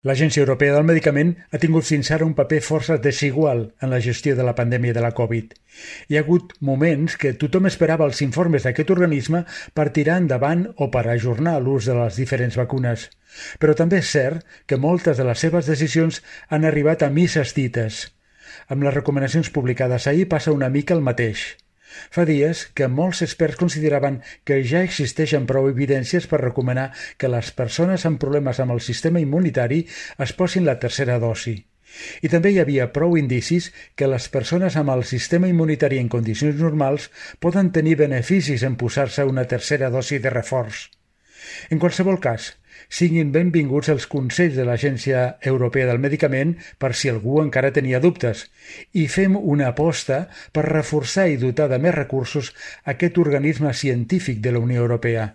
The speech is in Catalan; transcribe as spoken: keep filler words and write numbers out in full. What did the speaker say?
L'Agència Europea del Medicament ha tingut fins ara un paper força desigual en la gestió de la pandèmia de la Covid. Hi ha hagut moments que tothom esperava els informes d'aquest organisme per tirar endavant o per ajornar l'ús de les diferents vacunes. Però també és cert que moltes de les seves decisions han arribat a misses dites. Amb les recomanacions publicades ahir passa una mica el mateix. Fa dies que molts experts consideraven que ja existeixen prou evidències per recomanar que les persones amb problemes amb el sistema immunitari es posin la tercera dosi. I també hi havia prou indicis que les persones amb el sistema immunitari en condicions normals poden tenir beneficis en posar-se una tercera dosi de reforç. En qualsevol cas, siguin benvinguts els consells de l'Agència Europea del Medicament per si algú encara tenia dubtes, i fem una aposta per reforçar i dotar de més recursos aquest organisme científic de la Unió Europea.